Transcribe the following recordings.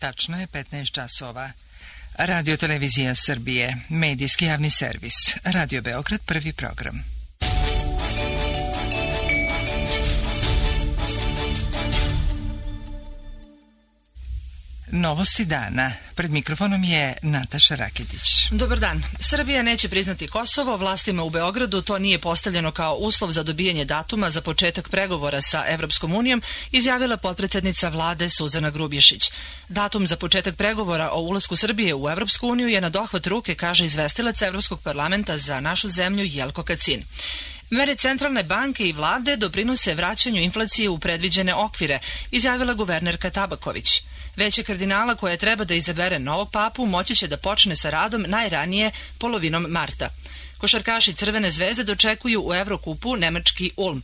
Tačno je 15 časova. Radio Televizija Srbije, medijski javni servis, Radio Beograd, prvi program. Novosti dana. Pred mikrofonom je Nataša Raketić. Dobar dan. Srbija neće priznati Kosovo. Vlastima u Beogradu to nije postavljeno kao uslov za dobijanje datuma za početak pregovora sa Evropskom unijom, izjavila potpredsednica vlade Suzana Grubješić. Datum za početak pregovora o ulasku Srbije u Evropsku uniju je na dohvat ruke, kaže izvestilac Evropskog parlamenta za našu zemlju Jelko Kacin. Mere centralne banke i vlade doprinose vraćanju inflacije u predviđene okvire, izjavila guvernerka Tabaković. Veće kardinala koja treba da izabere novog papu moći će da počne sa radom najranije polovinom marta. Košarkaši Crvene zvezde dočekuju u Evrokupu nemački Ulm.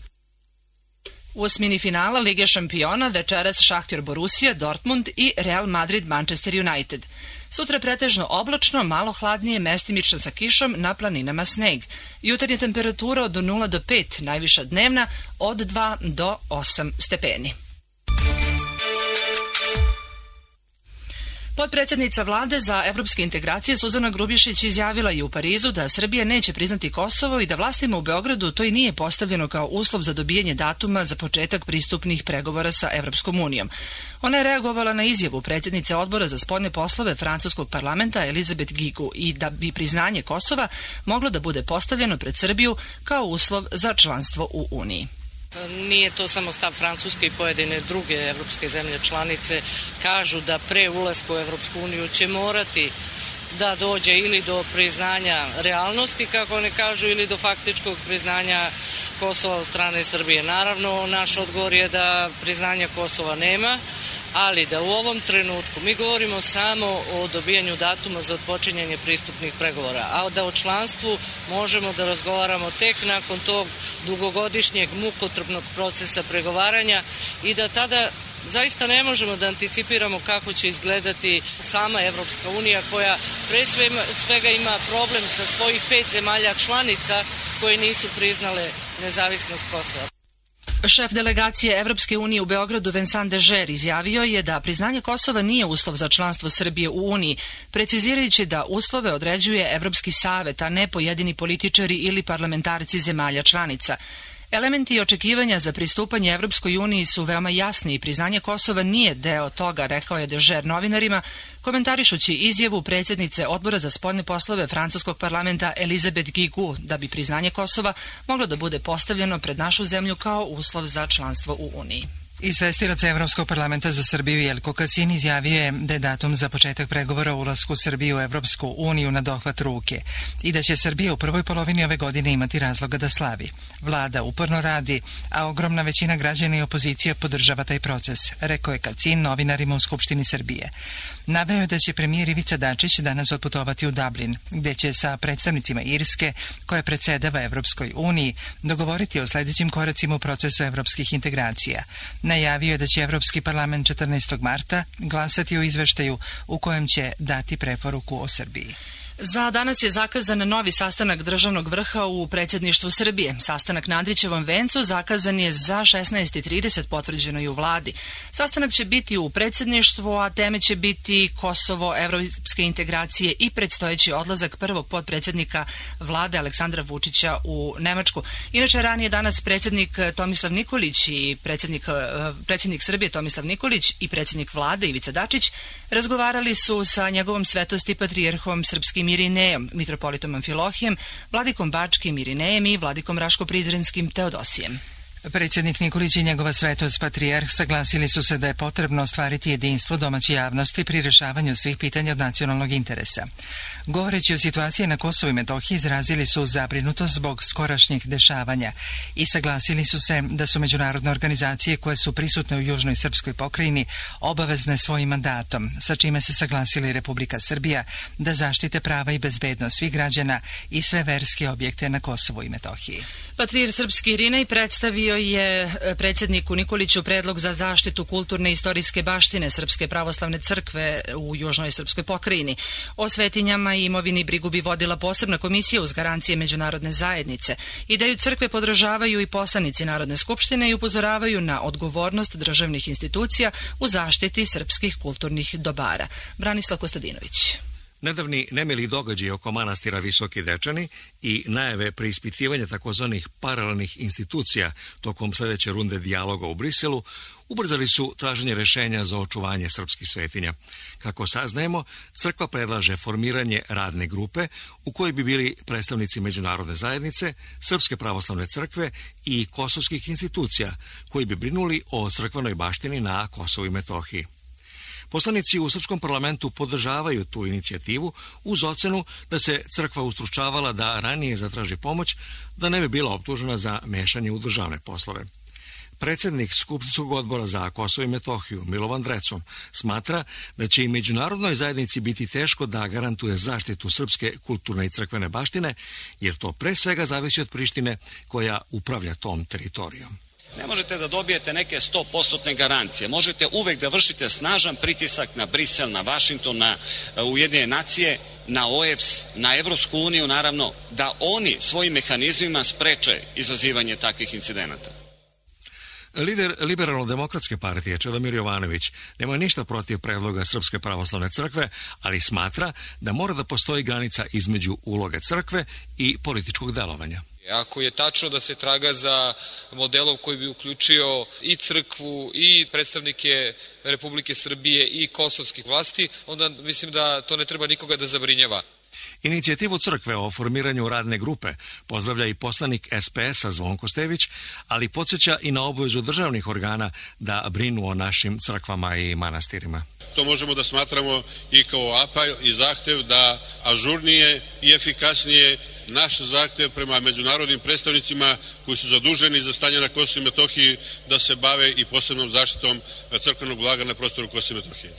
U osmini finala Lige šampiona večeras Šahtjor Borussia, Dortmund i Real Madrid Manchester United. Sutra pretežno oblačno, malo hladnije, mestimično sa kišom, na planinama sneg. Jutarnja temperatura od 0 do 5, najviša dnevna od 2 do 8 stepeni. Potpredsjednica vlade za evropske integracije Suzana Grubješić izjavila je u Parizu da Srbija neće priznati Kosovo i da vlastima u Beogradu to i nije postavljeno kao uslov za dobijanje datuma za početak pristupnih pregovora sa Evropskom unijom. Ona je reagovala na izjavu predsjednice odbora za spoljne poslove francuskog parlamenta Elizabeth Guigou i da bi priznanje Kosova moglo da bude postavljeno pred Srbiju kao uslov za članstvo u Uniji. Nije to samo stav Francuske i pojedine druge evropske zemlje članice kažu da pre ulaska u Evropsku uniju će morati da dođe ili do priznanja realnosti, kako oni kažu, ili do faktičkog priznanja Kosova od strane Srbije. Naravno, naš odgovor je da priznanja Kosova nema, ali da u ovom trenutku mi govorimo samo o dobijanju datuma za odpočinjanje pristupnih pregovora, a da o članstvu možemo da razgovaramo tek nakon tog dugogodišnjeg mukotrpnog procesa pregovaranja i da tada zaista ne možemo da anticipiramo kako će izgledati sama Evropska unija koja pre svega ima problem sa svojih 5 zemalja članica koje nisu priznale nezavisnost Kosova. Šef delegacije Evropske unije u Beogradu Vincent Dežer izjavio je da priznanje Kosova nije uslov za članstvo Srbije u Uniji, precizirajući da uslove određuje Evropski savet, a ne pojedini političari ili parlamentarci zemalja članica. Elementi očekivanja za pristupanje Evropskoj uniji su veoma jasni i priznanje Kosova nije deo toga, rekao je Dežer novinarima, komentarišući izjavu predsjednice odbora za spoljne poslove francuskog parlamenta Elizabeth Guigou da bi priznanje Kosova moglo da bude postavljeno pred našu zemlju kao uslov za članstvo u Uniji. Izvestilac Evropskog parlamenta za Srbiju Jelko Kacin izjavio je da je datum za početak pregovora o ulasku Srbije u Evropsku uniju na dohvat ruke i da će Srbija u prvoj polovini ove godine imati razloga da slavi. Vlada uporno radi, a ogromna većina građana i opozicija podržava taj proces, rekao je Kacin novinarima u Skupštini Srbije. Naveo je da će premijer Ivica Dačić danas otputovati u Dublin, gde će sa predstavnicima Irske, koja predsjedava Evropskoj uniji, dogovoriti o sljedećim koracima u procesu evropskih integracija. Najavio je da će Evropski parlament 14. marta glasati o izveštaju u kojem će dati preporuku o Srbiji. Za danas je zakazan novi sastanak državnog vrha u predsjedništvu Srbije. Sastanak na Andrićevom vencu zakazan je za 16:30, potvrđeno i u vladi. Sastanak će biti u predsjedništvu, a teme će biti Kosovo, evropske integracije i predstojeći odlazak prvog potpredsjednika vlade Aleksandra Vučića u Nemačku. Inače, ranije danas predsjednik Tomislav Nikolić i predsjednik Srbije Tomislav Nikolić i predsjednik vlade Ivica Dačić razgovarali su sa njegovom svetosti patrijarhom srpskim Irinejom, mitropolitom Amfilohijem, vladikom Bačkim Irinejem i vladikom Raško-Prizrenskim Teodosijem. Predsjednik Nikolić i njegova svetost patrijarh saglasili su se da je potrebno ostvariti jedinstvo domaće javnosti pri rješavanju svih pitanja od nacionalnog interesa. Govoreći o situaciji na Kosovu i Metohiji, izrazili su zabrinutost zbog skorašnjih dešavanja i saglasili su se da su međunarodne organizacije koje su prisutne u južnoj srpskoj pokrajini obavezne svojim mandatom, sa čime se saglasili Republika Srbija da zaštite prava i bezbednost svih građana i sve verske objekte na Kosovu i Metohiji. Patrijarh srpski Irinej predstavio predstavio je predsjedniku Nikoliću predlog za zaštitu kulturne i istorijske baštine Srpske pravoslavne crkve u južnoj srpskoj pokrajini. O svetinjama i imovini brigu bi vodila posebna komisija uz garancije međunarodne zajednice. Ideju crkve podržavaju i poslanici Narodne skupštine i upozoravaju na odgovornost državnih institucija u zaštiti srpskih kulturnih dobara. Branislav Kostadinović. Nedavni nemili događaji oko manastira Visoki Dečani i najave preispitivanja takozvanih paralelnih institucija tokom sljedeće runde dijaloga u Briselu ubrzali su traženje rješenja za očuvanje srpskih svetinja. Kako saznajemo, crkva predlaže formiranje radne grupe u kojoj bi bili predstavnici međunarodne zajednice, Srpske pravoslavne crkve i kosovskih institucija koji bi brinuli o crkvenoj baštini na Kosovu i Metohiji. Poslanici u Srpskom parlamentu podržavaju tu inicijativu uz ocenu da se crkva ustručavala da ranije zatraži pomoć, da ne bi bila optužena za mešanje u državne poslove. Predsjednik Skupštinskog odbora za Kosovo i Metohiju, Milovan Drecun, smatra da će i međunarodnoj zajednici biti teško da garantuje zaštitu srpske kulturne i crkvene baštine, jer to pre svega zavisi od Prištine koja upravlja tom teritorijom. Ne možete da dobijete neke 100% garancije. Možete uvek da vršite snažan pritisak na Brisel, na Vašington, na Ujedinjene nacije, na OEBS, na Evropsku uniju, naravno, da oni svojim mehanizmima spreče izazivanje takvih incidenata. Lider Liberalno-demokratske partije Čedomir Jovanović nema ništa protiv predloga Srpske pravoslavne crkve, ali smatra da mora da postoji granica između uloge crkve i političkog delovanja. Ako je tačno da se traga za modelom koji bi uključio i crkvu i predstavnike Republike Srbije i kosovskih vlasti, onda mislim da to ne treba nikoga da zabrinjava. Inicijativu crkve o formiranju radne grupe pozdravlja i poslanik SPS-a Zvonko Stević, ali podsjeća i na obavezu državnih organa da brinu o našim crkvama i manastirima. To možemo da smatramo i kao apel i zahtev da ažurnije i efikasnije naš zahtev prema međunarodnim predstavnicima koji su zaduženi za stanje na Kosovu i Metohiji da se bave i posebnom zaštitom crkvenog blaga na prostoru Kosova i Metohije.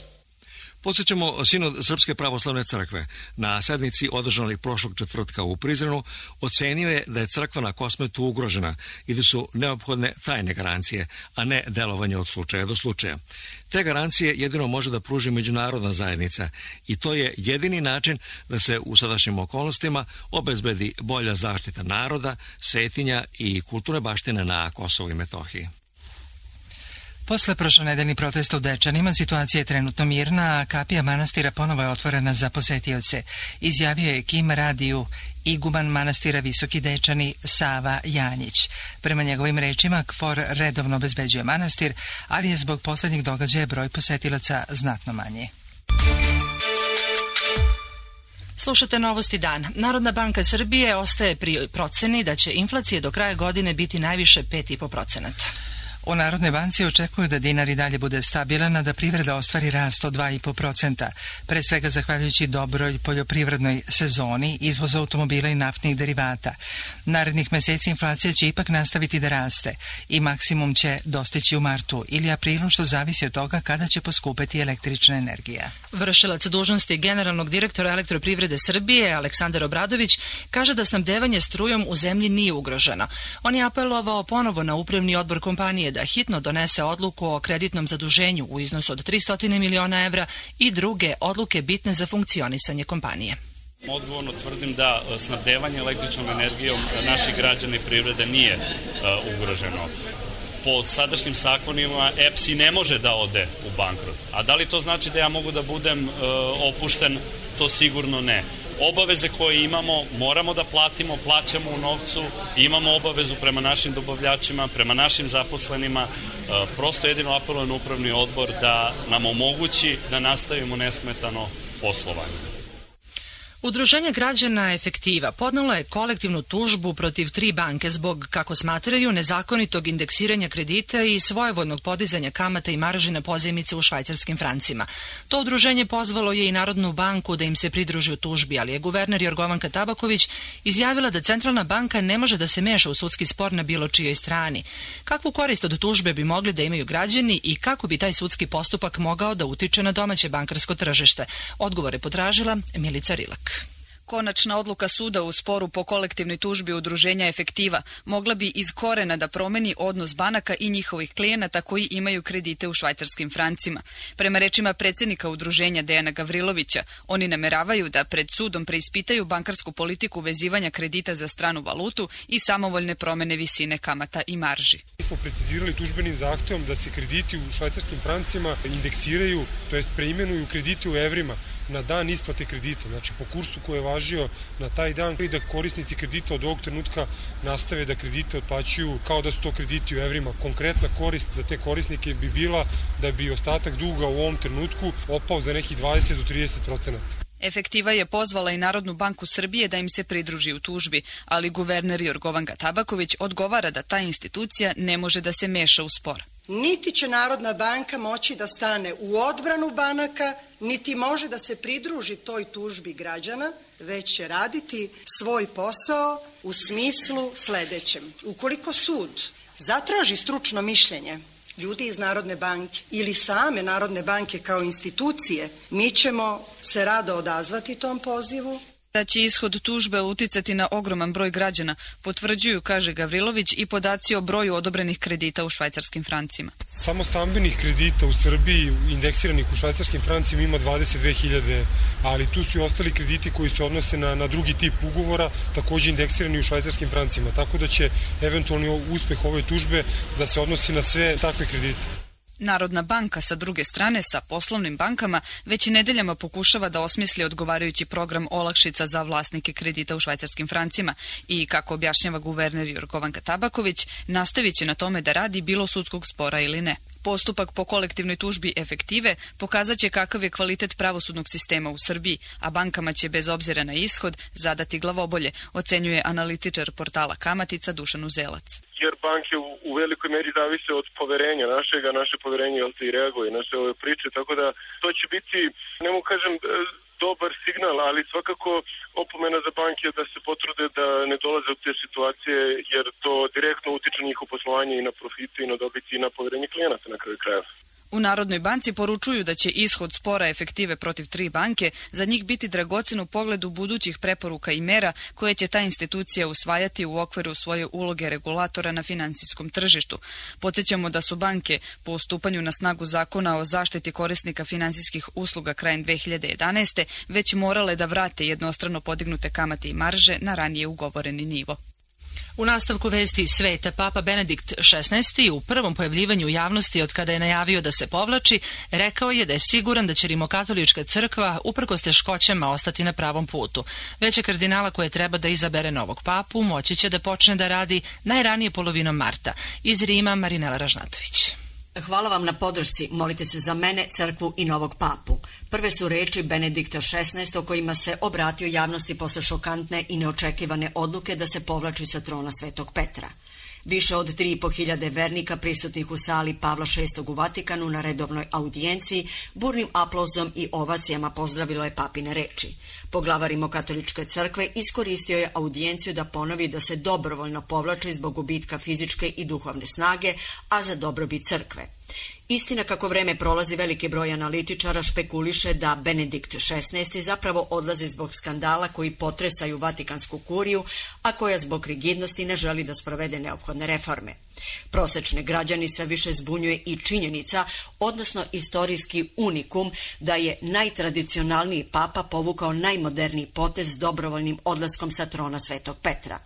Podsjećamo, Sinod Srpske pravoslavne crkve na sednici održanoj prošlog četvrtka u Prizrenu ocenio je da je crkva na Kosmetu ugrožena i da su neophodne tajne garancije, a ne delovanje od slučaja do slučaja. Te garancije jedino može da pruži međunarodna zajednica i to je jedini način da se u sadašnjim okolnostima obezbedi bolja zaštita naroda, svetinja i kulturne baštine na Kosovu i Metohiji. Posle prošlonedeljnih protesta u Dečanima situacija je trenutno mirna, a kapija manastira ponovo je otvorena za posetioce, izjavio je Kim radiju iguman manastira Visoki Dečani Sava Janjić. Prema njegovim rečima, KFOR redovno obezbeđuje manastir, ali je zbog posljednjih događaja broj posetilaca znatno manji. Slušate Novosti dan. Narodna banka Srbije ostaje pri proceni da će inflacija do kraja godine biti najviše 5,5%. U Narodnoj banci očekuju da dinar i dalje bude stabilan, a da privreda ostvari rast od 2,5%, pre svega zahvaljujući dobroj poljoprivrednoj sezoni, izvoza automobila i naftnih derivata. Narednih meseci inflacija će ipak nastaviti da raste i maksimum će dostići u martu ili aprilu, što zavisi od toga kada će poskupeti električna energija. Vršilac dužnosti generalnog direktora Elektroprivrede Srbije, Aleksandar Obradović, kaže da snabdevanje strujom u zemlji nije ugroženo. On je apelovao ponovo na upravni odbor kompanije da hitno donese odluku o kreditnom zaduženju u iznosu od 300 miliona evra i druge odluke bitne za funkcionisanje kompanije. Odgovorno tvrdim da snabdevanje električnom energijom naših građana i privrede nije ugroženo. Po sadašnjim zakonima EPS i ne može da ode u bankrot. A da li to znači da ja mogu da budem opušten? To sigurno ne. Obaveze koje imamo, moramo da platimo, plaćamo u novcu, imamo obavezu prema našim dobavljačima, prema našim zaposlenima. Prosto jedino apelujem na upravni odbor da nam omogući da nastavimo nesmetano poslovanje. Udruženje građana Efektiva podnelo je kolektivnu tužbu protiv 3 banke zbog, kako smatraju, nezakonitog indeksiranja kredita i svojevoljnog podizanja kamata i marži na pozajmice u švajcarskim francima. To udruženje pozvalo je i Narodnu banku da im se pridruži u tužbi, ali je guverner Jorgovanka Tabaković izjavila da Centralna banka ne može da se meša u sudski spor na bilo čijoj strani. Kakvu korist od tužbe bi mogli da imaju građani i kako bi taj sudski postupak mogao da utiče na domaće bankarsko tržište? Odgovor je potražila Milica Rilak. Konačna odluka suda u sporu po kolektivnoj tužbi udruženja Efektiva mogla bi iz korena da promeni odnos banaka i njihovih klijenata koji imaju kredite u švajcarskim francima. Prema rečima predsjednika udruženja Dejana Gavrilovića, oni nameravaju da pred sudom preispitaju bankarsku politiku vezivanja kredita za stranu valutu i samovoljne promene visine kamata i marži. Mi smo precizirali tužbenim zahtevom da se krediti u švajcarskim francima indeksiraju, to jest preimenuju krediti u evrima na dan isplate kredita, znači po kursu koji je važio na taj dan, i da korisnici kredita od ovog trenutka nastave da kredite otplaćuju kao da su to krediti u evrima. Konkretna korist za te korisnike bi bila da bi ostatak duga u ovom trenutku opao za nekih 20 do 30%. Efektiva je pozvala i Narodnu banku Srbije da im se pridruži u tužbi, ali guverner Jorgovanka Tabaković odgovara da ta institucija ne može da se meša u spor. Niti će Narodna banka moći da stane u odbranu banaka, niti može da se pridruži toj tužbi građana, već će raditi svoj posao u smislu sledećem. Ukoliko sud zatraži stručno mišljenje ljudi iz Narodne banke ili same Narodne banke kao institucije, mi ćemo se rado odazvati tom pozivu. Da će ishod tužbe uticati na ogroman broj građana, potvrđuju, kaže Gavrilović, i podaci o broju odobrenih kredita u švajcarskim francima. Samo stambenih kredita u Srbiji indeksiranih u švajcarskim francima ima 22.000, ali tu su i ostali krediti koji se odnose na drugi tip ugovora, takođe indeksirani u švajcarskim francima, tako da će eventualni uspeh ove tužbe da se odnosi na sve takve kredite. Narodna banka, sa druge strane, sa poslovnim bankama, već i nedeljama pokušava da osmisli odgovarajući program olakšica za vlasnike kredita u švajcarskim francima i, kako objašnjava guverner Jorgovanka Tabaković, nastavit će na tome da radi bilo sudskog spora ili ne. Postupak po kolektivnoj tužbi Efektive pokazat će kakav je kvalitet pravosudnog sistema u Srbiji, a bankama će bez obzira na ishod zadati glavobolje, ocenjuje analitičar portala Kamatica Dušan Uzelac. Jer banke u velikoj meri zavise od poverenja naše poverenje i reaguje na sve ove priče, tako da to će biti, ne mogu kažem, dobar signal, ali svakako opomena za banke da se potrude da ne dolaze u te situacije, jer to direktno utiče na njihovo poslovanje i na profite i na dobiti i na poverenje klijenata na kraju krajeva. U Narodnoj banci poručuju da će ishod spora Efektive protiv 3 banke za njih biti dragocen u pogledu budućih preporuka i mera koje će ta institucija usvajati u okviru svoje uloge regulatora na finansijskom tržištu. Podsjećamo da su banke po stupanju na snagu zakona o zaštiti korisnika finansijskih usluga krajem 2011. već morale da vrate jednostrano podignute kamate i marže na ranije ugovoreni nivo. U nastavku vesti iz sveta, Papa Benedikt XVI u prvom pojavljivanju u javnosti od kada je najavio da se povlači, rekao je da je siguran da će Rimokatolička crkva uprkos teškoćama ostati na pravom putu. Veće kardinala koje treba da izabere novog papu moći će da počne da radi najranije polovinom marta. Iz Rima, Marinela Ražnatović. Hvala vam na podršci, molite se za mene, crkvu i novog papu. Prve su reči Benedikta XVI o kojima se obratio javnosti posle šokantne i neočekivane odluke da se povlači sa trona Svetog Petra. Više od 3.500 vernika prisutnih u sali Pavla VI u Vatikanu na redovnoj audijenciji burnim aplauzom i ovacijama pozdravilo je papine reči. Poglavar Rimokatoličke crkve iskoristio je audijenciju da ponovi da se dobrovoljno povlači zbog gubitka fizičke i duhovne snage, a za dobrobit crkve. Istina, kako vreme prolazi, veliki broj analitičara špekuliše da Benedikt XVI zapravo odlazi zbog skandala koji potresaju Vatikansku kuriju, a koja zbog rigidnosti ne želi da sprovede neophodne reforme. Prosečne građani sve više zbunjuje i činjenica, odnosno istorijski unikum, da je najtradicionalniji papa povukao najmoderniji potez dobrovoljnim odlaskom sa trona Svetog Petra.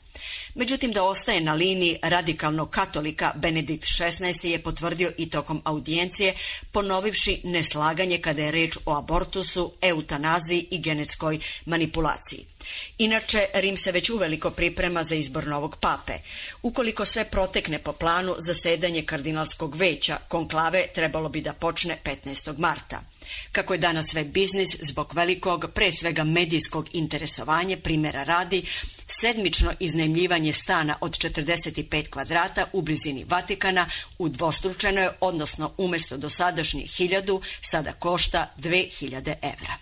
Međutim, da ostaje na liniji radikalnog katolika, Benedikt XVI je potvrdio i tokom audijencije, ponovivši neslaganje kada je reč o abortusu, eutanaziji i genetskoj manipulaciji. Inače, Rim se već uveliko priprema za izbor novog pape. Ukoliko sve protekne po planu, zasedanje kardinalskog veća, konklave, trebalo bi da počne 15. marta. Kako je danas sve biznis, zbog velikog, pre svega medijskog interesovanja, primjera radi, sedmično iznajmljivanje stana od 45 kvadrata u blizini Vatikana udvostručeno je, odnosno umjesto dosadašnjih 1.000, sada košta 2.000 evra.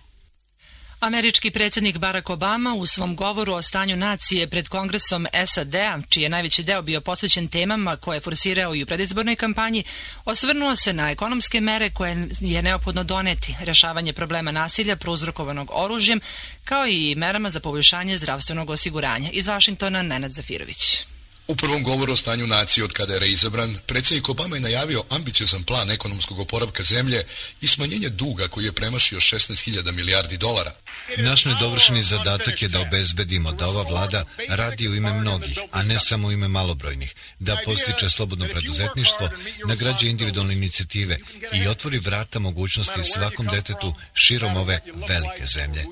Američki predsjednik Barack Obama u svom govoru o stanju nacije pred Kongresom SAD-a, čiji je najveći deo bio posvećen temama koje je forsirao i u predizbornoj kampanji, osvrnuo se na ekonomske mere koje je neophodno doneti, rešavanje problema nasilja prouzrokovanog oružjem, kao i merama za poboljšanje zdravstvenog osiguranja. Iz Vašingtona, Nenad Zafirović. U prvom govoru o stanju nacije od kada je reizabran, predsjednik Obama je najavio ambiciozan plan ekonomskog oporavka zemlje i smanjenje duga koji je premašio 16.000 milijardi dolara. Naš nedovršeni zadatak je da obezbedimo da ova vlada radi u ime mnogih, a ne samo u ime malobrojnih, da podstiče slobodno preduzetništvo, nagrađuje individualne inicijative i otvori vrata mogućnosti svakom detetu širom ove velike zemlje.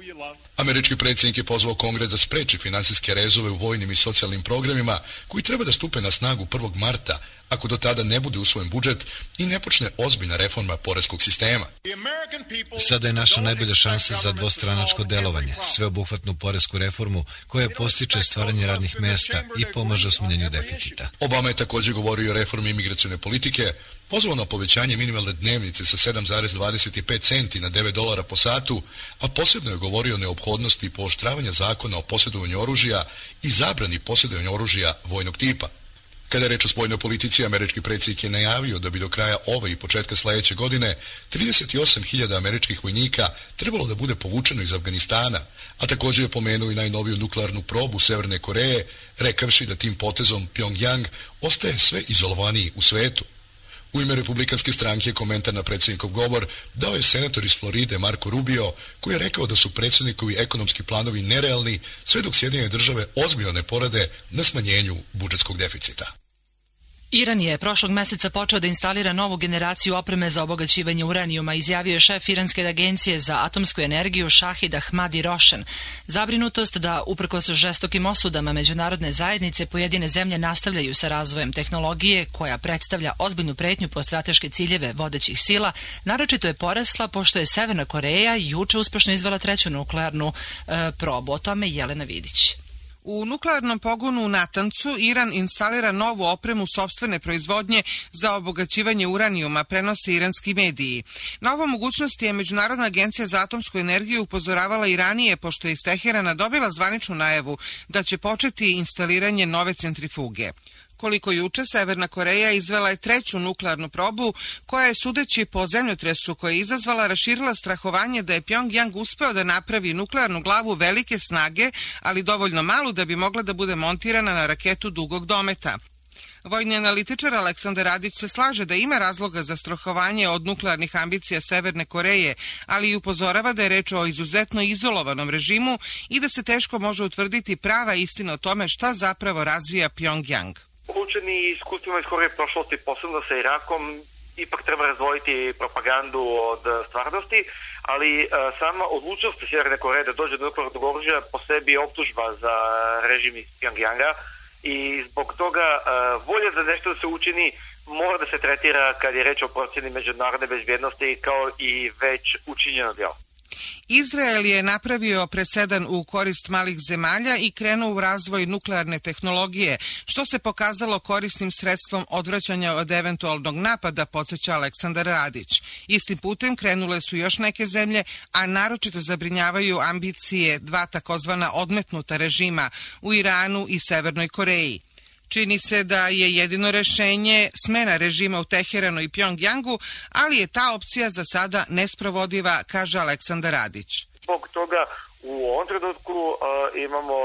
Američki predsjednik je pozvao Kongres da spreči finansijske rezove u vojnim i socijalnim programima koji treba da stupe na snagu 1. marta, ako do tada ne bude usvojen budžet i ne počne ozbiljna reforma poreskog sistema. Sada je naša najbolja šansa za dvostranačko delovanje, sveobuhvatnu poresku reformu koja postiče stvaranje radnih mesta i pomaže u smanjenju deficita. Obama je također govorio o reformi imigracione politike, pozvao na povećanje minimalne dnevnice sa 7,25 centi na $9 po satu, a posebno je govorio o neophodnosti pooštravanja zakona o posjedovanju oružja i zabrani posjedovanja oružja vojnog tipa. Kada je reč o spoljnoj politici, američki predsjednik je najavio da bi do kraja ove i početka sljedeće godine 38.000 američkih vojnika trebalo da bude povučeno iz Afganistana, a također je pomenuo i najnoviju nuklearnu probu Severne Koreje, rekavši da tim potezom Pyongyang ostaje sve izolovaniji u svetu. U ime Republikanske stranke komentar na predsjednikov govor dao je senator iz Floride Marco Rubio, koji je rekao da su predsjednikovi ekonomski planovi nerealni sve dok Sjedinjene države ozbiljno ne porade na smanjenju budžetskog deficita. Iran je prošlog meseca počeo da instalira novu generaciju opreme za obogaćivanje uranijuma, izjavio je šef Iranske agencije za atomsku energiju Šahid Ahmadi Rošen. Zabrinutost da, uprkos žestokim osudama međunarodne zajednice, pojedine zemlje nastavljaju sa razvojem tehnologije koja predstavlja ozbiljnu pretnju po strateške ciljeve vodećih sila, naročito je porasla pošto je Severna Koreja juče uspešno izvela treću nuklearnu probu. O tome Jelena Vidić. U nuklearnom pogonu u Natancu Iran instalira novu opremu sopstvene proizvodnje za obogaćivanje uranijuma, prenose iranski mediji. Na ovu mogućnost je Međunarodna agencija za atomsku energiju upozoravala i ranije, pošto je iz Teherana dobila zvaničnu najavu da će početi instaliranje nove centrifuge. Koliko juče, Severna Koreja izvela je treću nuklearnu probu, koja je, sudeći po zemljotresu koje je izazvala, raširila strahovanje da je Pyongyang uspeo da napravi nuklearnu glavu velike snage, ali dovoljno malu da bi mogla da bude montirana na raketu dugog dometa. Vojni analitičar Aleksandar Radić se slaže da ima razloga za strahovanje od nuklearnih ambicija Severne Koreje, ali i upozorava da je reč o izuzetno izolovanom režimu i da se teško može utvrditi prava istina o tome šta zapravo razvija Pyongyang. Poučeni iskustvima iz Koreje prošlosti, posebno sa Irakom, ipak treba razdvojiti propagandu od stvarnosti, ali sama odlučnost Sjeverne Koreje da dođe do nuklearnog oružja po sebi je optužba za režim iz Pyongyanga i zbog toga volja za nešto da se učini mora da se tretira kad je reč o procjeni međunarodne bezbjednosti kao i već učinjeno djelo. Izrael je napravio presedan u korist malih zemalja i krenuo u razvoj nuklearne tehnologije, što se pokazalo korisnim sredstvom odvraćanja od eventualnog napada, podsjeća Aleksandar Radić. Istim putem krenule su još neke zemlje, a naročito zabrinjavaju ambicije dva takozvana odmetnuta režima u Iranu i Severnoj Koreji. Čini se da je jedino rešenje smena režima u Teheranu i Pyongyangu, ali je ta opcija za sada nesprovodiva, kaže Aleksandar Radić. Zbog toga u ovom trenutku imamo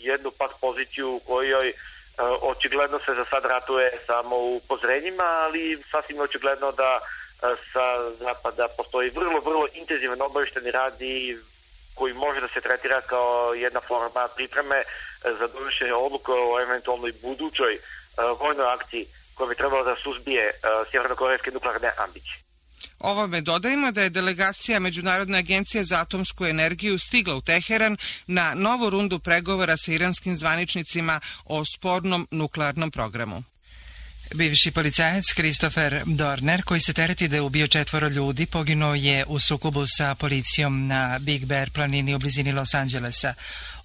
jednu pak poziciju u kojoj očigledno se za sad ratuje samo u upozorenjima, ali sasvim očigledno da sa zapada postoji vrlo intenzivan obavještajni rad i koji može da se tretira kao jedna forma pripreme za donošenje odluke o eventualnoj budućoj vojnoj akciji koja bi trebala da suzbije sjevernokorejske nuklearne ambicije. Ovome dodajemo da je delegacija Međunarodne agencije za atomsku energiju stigla u Teheran na novu rundu pregovora sa iranskim zvaničnicima o spornom nuklearnom programu. Bivši policajac Christopher Dorner, koji se tereti da je ubio 4 ljudi, poginuo je u sukobu sa policijom na Big Bear planini u blizini Los Angelesa.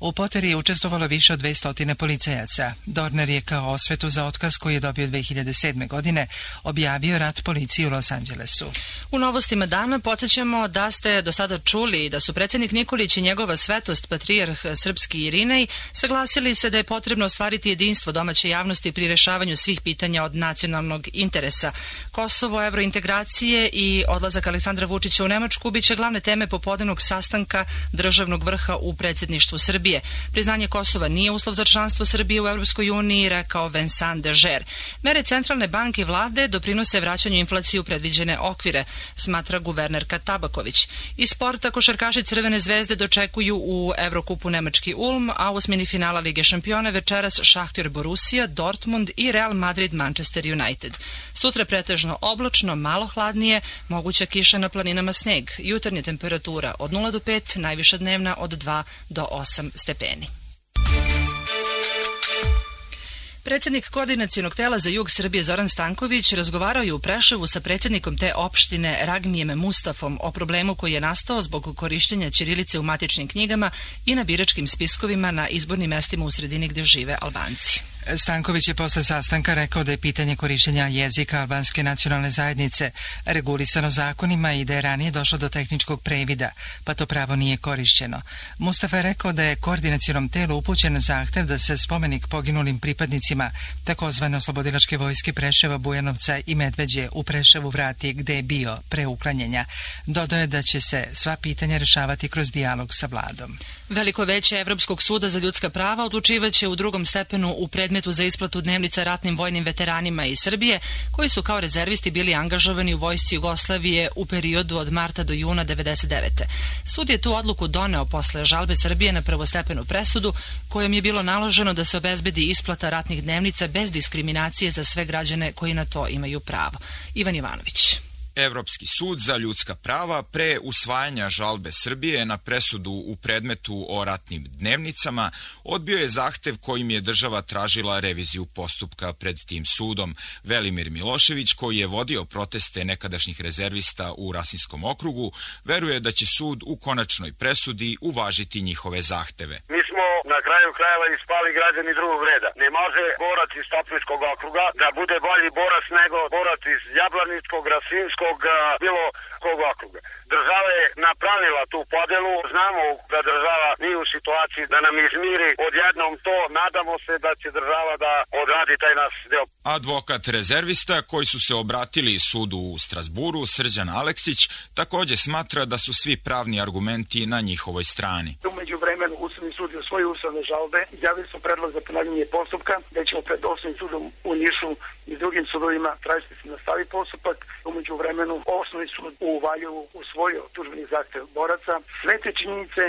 U poteri je učestvovalo više od 200 policajaca. Dorner je kao osvetu za otkaz koji je dobio 2007. godine objavio rat policiji u Los Angelesu. U novostima dana podsjećamo da ste do sada čuli da su predsjednik Nikolić i njegova svetost patrijarh srpski Irinej saglasili se da je potrebno ostvariti jedinstvo domaće javnosti pri rešavanju svih pitanja od nacionalnog interesa. Kosovo, evrointegracije i odlazak Aleksandra Vučića u Nemačku biće glavne teme popodnevnog sastanka državnog vrha u predsjedništvu Srbije. Priznanje Kosova nije uslov za članstvo Srbije u Europskoj uniji, rekao Vincent Dežer. Mere centralne banke i vlade doprinose vraćanju inflacije u predviđene okvire, smatra guvernerka Tabaković. Iz sporta košarkaši Crvene zvezde dočekuju u Evrokupu nemački Ulm, a u osmini finala Lige šampiona večeras Šahtjor Borussia, Dortmund i Real Madrid Manchester United. Sutra pretežno oblačno, malo hladnije, moguća kiša na planinama, sneg. Jutarnja temperatura od 0 do 5, najviša dnevna od 2 do 8 stepeni. Predsjednik Koordinacionog tela za jug Srbije Zoran Stanković razgovarao je u Preševu sa predsjednikom te opštine Ragmijem Mustafom o problemu koji je nastao zbog korištenja ćirilice u matičnim knjigama i na biračkim spiskovima na izbornim mestima u sredini gdje žive Albanci. Stanković je posle sastanka rekao da je pitanje korištenja jezika albanske nacionalne zajednice regulisano zakonima i da je ranije došlo do tehničkog previda, pa to pravo nije korišćeno. Mustafa je rekao da je koordinacionom telu upućen zahtev da se spomenik poginulim pripadnicima takozvane oslobodilačke vojske Preševa, Bujanovca i Medveđe u Preševu vrati gde je bio pre uklanjanja. Dodao je da će se sva pitanja rešavati kroz dijalog sa vladom. Veliko veće Evropskog suda za ljudska prava odlučivaće u drugom stepenu u predmetu za isplatu dnevnica ratnim vojnim veteranima iz Srbije, koji su kao rezervisti bili angažovani u vojsci Jugoslavije u periodu od marta do juna 1999. Sud je tu odluku doneo posle žalbe Srbije na prvostepenu presudu, kojom je bilo naloženo da se obezbedi isplata ratnih dnevnica bez diskriminacije za sve građane koji na to imaju pravo. Ivan Ivanović. Evropski sud za ljudska prava pre usvajanja žalbe Srbije na presudu u predmetu o ratnim dnevnicama odbio je zahtev kojim je država tražila reviziju postupka pred tim sudom. Velimir Milošević, koji je vodio proteste nekadašnjih rezervista u Rasinskom okrugu, veruje da će sud u konačnoj presudi uvažiti njihove zahteve. Mi smo na kraju krajeva ispali građani drugog reda. Ne može borac iz Topličkog okruga da bude bolji borac nego borac iz Jablaničkog, Rasinskog, bilo kog okruga. Država je napravila tu podelu, znamo da država nije u situaciji da nam izmiri odjednom to, nadamo se da će država da odradi taj naš deo. Advokat rezervista koji su se obratili sudu u Strasburu, Srđan Aleksić, također smatra da su svi pravni argumenti na njihovoj strani. Umeđu vremenu Ustavni sud je svoje ustavne žalbe, izjavili smo predlog za ponavljanje postupka, da ćemo pred Osnovnim sudom u Nišu i drugim sudovima tražiti se nastavi postupak. Umeđu vremenu Osnovni sud u Valjevu usvojio tužbeni zahtev boraca. Sve te činjenice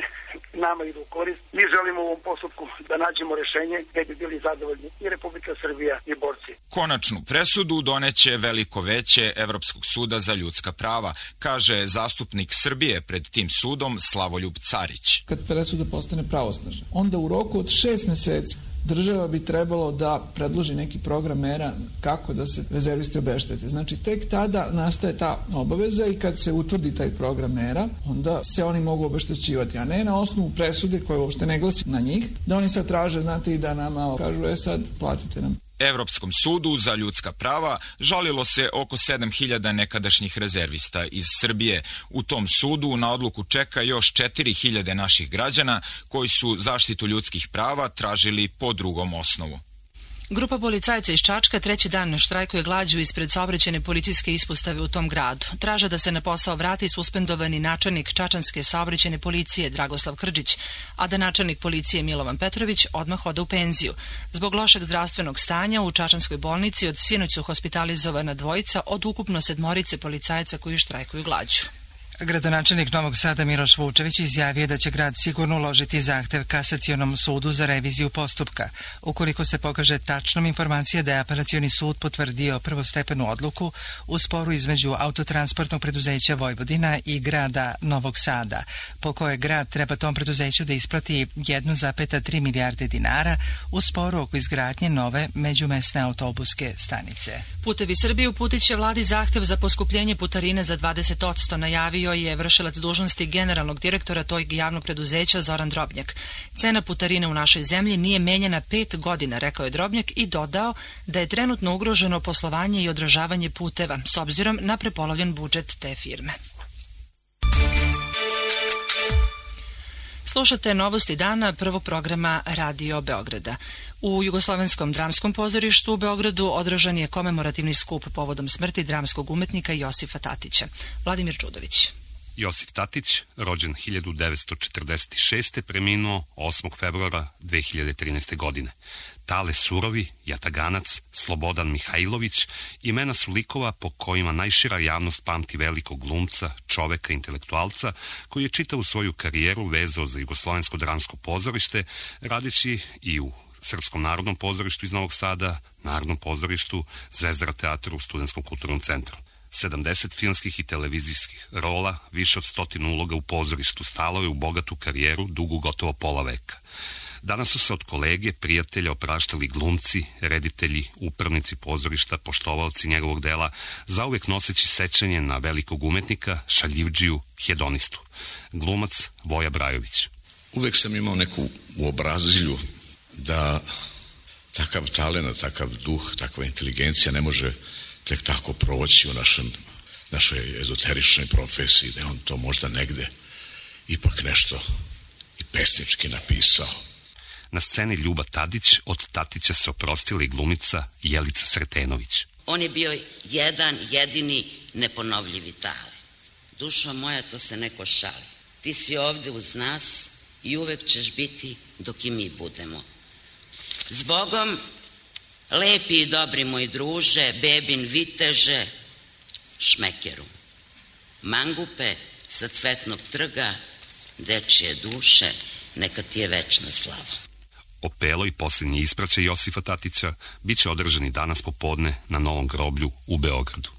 nama idu u korist. Mi želimo u ovom postupku da nađemo rešenje gdje bi bili zadovoljni i Republika Srbija i borci. Konačnu presudu doneće veliko veće Evropskog suda za ljudska prava, kaže zastupnik Srbije pred tim sudom Slavoljub Carić. Kad presuda postane pravosnažna, onda u roku od 6 meseci država bi trebalo da predloži neki program mera kako da se rezervisti obeštete. Znači, tek tada nastaje ta obaveza i kad se utvrdi taj program mera, onda se oni mogu obeštećivati, a ne na osnovu presude koje uopšte ne glasi na njih, da oni sad traže, znate, i da nama kažu, sad platite nam. Evropskom sudu za ljudska prava žalilo se oko 7.000 nekadašnjih rezervista iz Srbije. U tom sudu na odluku čeka još 4.000 naših građana koji su zaštitu ljudskih prava tražili po drugom osnovu. Grupa policajaca iz Čačka treći dan štrajkuje glađu ispred saobraćajne policijske ispostave u tom gradu. Traže da se na posao vrati suspendovani načelnik Čačanske saobraćajne policije Dragoslav Krđić, a da načelnik policije Milovan Petrović odmah ode u penziju. Zbog lošeg zdravstvenog stanja u Čačanskoj bolnici od sinoć su hospitalizovana dvojica od ukupno 7 policajaca koji štrajkuju glađu. Gradonačelnik Novog Sada Miloš Vučević izjavio da će grad sigurno uložiti zahtev Kasacionom sudu za reviziju postupka. Ukoliko se pokaže tačnom informacija da je Apelacioni sud potvrdio prvostepenu odluku u sporu između Autotransportnog preduzeća Vojvodina i grada Novog Sada, po kojoj grad treba tom preduzeću da isplati 1,3 milijarde dinara u sporu oko izgradnje nove međumesne autobuske stanice. Putevi Srbije uputit će vladi zahtev za poskupljenje putarine za 20%, najavio je vršilac dužnosti generalnog direktora tog javnog preduzeća Zoran Drobnjak. Cena putarine u našoj zemlji nije menjana 5 godina, rekao je Drobnjak i dodao da je trenutno ugroženo poslovanje i održavanje puteva s obzirom na prepolovljen budžet te firme. Slušate novosti dana prvog programa Radio Beograda. U Jugoslovenskom dramskom pozorištu u Beogradu održan je komemorativni skup povodom smrti dramskog umetnika Josifa Tatića. Vladimir Đudović. Josif Tatić, rođen 1946. preminuo 8. februara 2013. godine. Tale Surovi, Jataganac, Slobodan Mihajlović imena su likova po kojima najšira javnost pamti velikog glumca, čoveka, intelektualca, koji je čitavu svoju karijeru vezao za Jugoslovensko dramsko pozorište, radeći i u Srpskom narodnom pozorištu iz Novog Sada, Narodnom pozorištu, Zvezdara teatru, Studentskom kulturnom centru. 70 filmskih i televizijskih rola, više od 100 uloga u pozorištu, stalo je u bogatu karijeru, dugu gotovo pola veka. Danas su se od kolege, prijatelja opraštali glumci, reditelji, upravnici pozorišta, poštovalci njegovog dela, zauvek noseći sećanje na velikog umetnika, šaljivdžiju, hedonistu. Glumac Voja Brajović. Uvek sam imao neku uobrazilju da takav talent, takav duh, takva inteligencija ne može tek tako proći u našoj ezoteričnoj profesiji, da je on to možda negde ipak nešto i pesnički napisao. Na sceni Ljuba Tadić, od Tatića se oprostila i glumica Jelica Sretenović. On je bio jedan, jedini, neponovljivi Tale. Dušo moja, to se neko šali. Ti si ovde uz nas i uvek ćeš biti dok i mi budemo. Zbogom, lepi i dobri moj druže, bebin viteže, šmekeru. Mangupe sa Cvetnog trga, dečije duše, neka ti je večna slava. Opelo i posljednji ispraćaj Josifa Tatića bit će održani danas popodne na Novom groblju u Beogradu.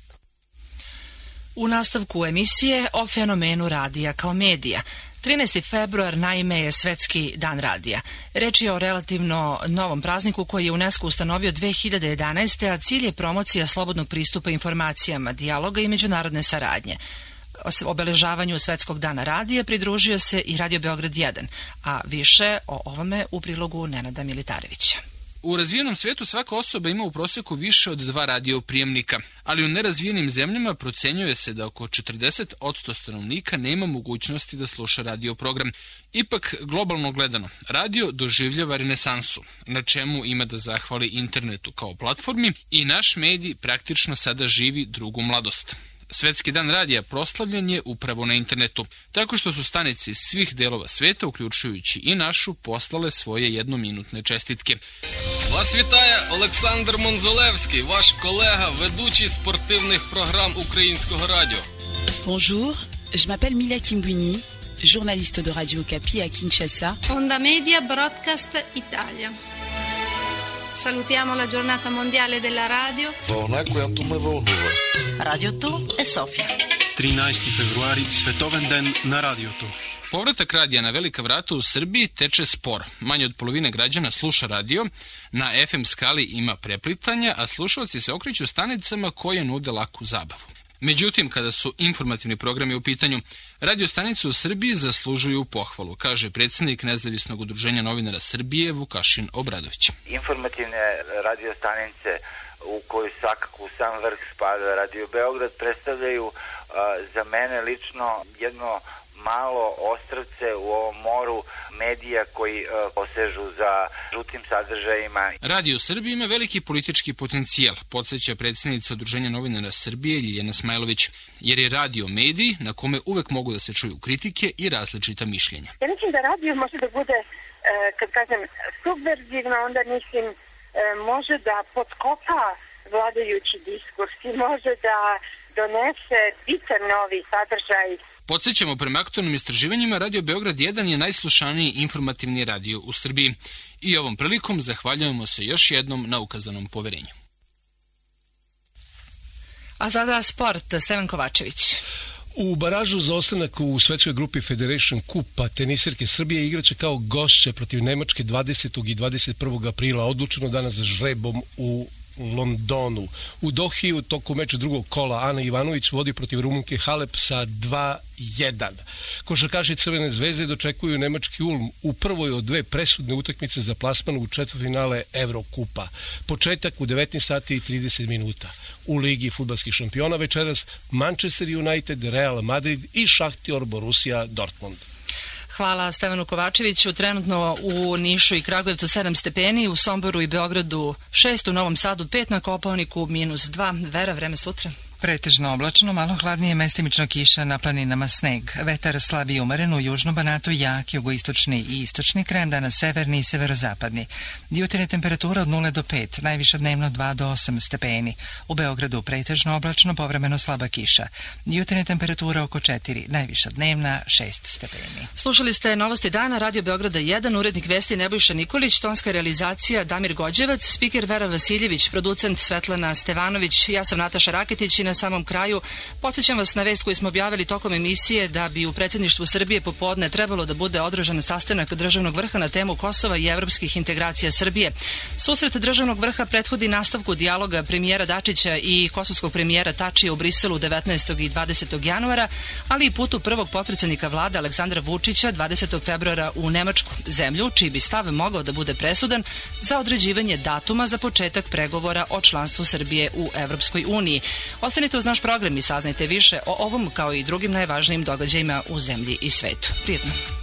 U nastavku emisije o fenomenu radija kao medija. 13. februar naime je Svetski dan radija. Reč je o relativno novom prazniku koji je UNESCO ustanovio 2011. a cilj je promocija slobodnog pristupa informacijama, dijaloga i međunarodne saradnje. Obeležavanju Svetskog dana radija pridružio se i Radio Beograd 1, a više o ovome u prilogu Nenada Militarevića. U razvijenom svijetu svaka osoba ima u prosjeku više od 2 radioprijemnika, ali u nerazvijenim zemljama procenjuje se da oko 40% stanovnika nema mogućnosti da sluša radioprogram. Ipak, globalno gledano, radio doživljava renesansu, na čemu ima da zahvali internetu kao platformi i naš medij praktično sada živi drugu mladost. Svetski dan radija proslavljen je upravo na internetu, tako što su stanice iz svih delova sveta, uključujući i našu, poslale svoje jednominutne čestitke. Вас вітає Олександр Монзолевський, ваш колега, ведучий спортивних програм Українського радіо. Bonjour, je m'appelle Mila Kimbuni, journaliste de Radio Okapi à Kinshasa. Onda Media Broadcast Italia. Salutiamo la giornata mondiale della radio. Вълна, която ме вълнува. Радиото е София. 13. februari, Svetovan den na radiotu. Povratak radija na velika vrata u Srbiji teče sporo. Manje od polovine građana sluša radio, na FM skali ima preplitanja, a slušalci se okreću stanicama koje nude laku zabavu. Međutim, kada su informativni programi u pitanju, radio stanice u Srbiji zaslužuju pohvalu, kaže predsjednik Nezavisnog udruženja novinara Srbije Vukašin Obradović. Informativne radio stanice u koju svakako u sam vrh spada Radio Beograd predstavljaju za mene lično jedno malo ostrvce u ovom moru medija koji posežu za žutim sadržajima. Radio u Srbiji ima veliki politički potencijal, podsjeća predsjednica Udruženja novinara Srbije Ljiljana Smajlović, jer je radio medij na kome uvek mogu da se čuju kritike i različita mišljenja. Ja mislim da radio može da bude, kad kažem, subverzivno, onda mislim može da potkopa vladajući diskurs i može da donese bitan novi sadržaj. Podsjećamo, prema aktualnim istraživanjima, Radio Beograd 1 je najslušaniji informativni radio u Srbiji. I ovom prilikom zahvaljujemo se još jednom na ukazanom poverenju. A sada sport, Stevan Kovačević. U baražu za ostanak u svetskoj grupi Federation Kupa tenisirke Srbije igraće kao gošće protiv Nemačke 20. i 21. aprila, odlučeno danas žrebom u Londonu. U Dohi u toku meča drugog kola Ana Ivanović vodi protiv Rumunke Halep sa 2-1. Košarkaši Crvene zvezde dočekuju nemački Ulm u prvoj od dve presudne utakmice za plasman u četvrtfinale Evrokupa. Početak u 19 sati i 30 minuta. U Ligi fudbalskih šampiona večeras Manchester United, Real Madrid i Šahtior Borussia Dortmund. Hvala Stevanu Kovačeviću. Trenutno u Nišu i Kragujevcu 7 stepeni, u Somboru i Beogradu 6, u Novom Sadu 5, na Kopaoniku -2. Vera, vreme sutra? Pretežno oblačno, malo hladnije, mestimično kiša, na planinama sneg. Vetar slab i umeren, u južnom Banatu jak, jugoistočni i istočni kraj, danas severni i severozapadni. Jutarnja temperatura od 0 do 5, najviša dnevno 2 do 8 stepeni. U Beogradu pretežno oblačno, povremeno slaba kiša. Jutarnja temperatura oko 4, najviša dnevna 6 stepeni. Slušali ste Novosti dana, Radio Beograda 1, urednik vesti Nebojša Nikolić, tonska realizacija Damir Gođevac, spiker Vera Vasiljević, producent Svetlana Stevanović, ja sam Nataša Raketić i na samom kraju podsjećam vas na vest koju smo objavili tokom emisije da bi u predsjedništvu Srbije popodne trebalo da bude održan sastanak državnog vrha na temu Kosova i evropskih integracija Srbije. Susret državnog vrha prethodi nastavku dijaloga premijera Dačića i kosovskog premijera Tačija u Briselu 19. i 20. januara, ali i putu prvog potpredsjednika vlade Aleksandra Vučića 20. februara u Nemačku, zemlju čiji bi stav mogao da bude presudan za određivanje datuma za početak pregovora o članstvu Srbije u Evropskoj uniji. Ostanite uz naš program i saznajte više o ovom kao i drugim najvažnijim događajima u zemlji i svetu. Prijetno.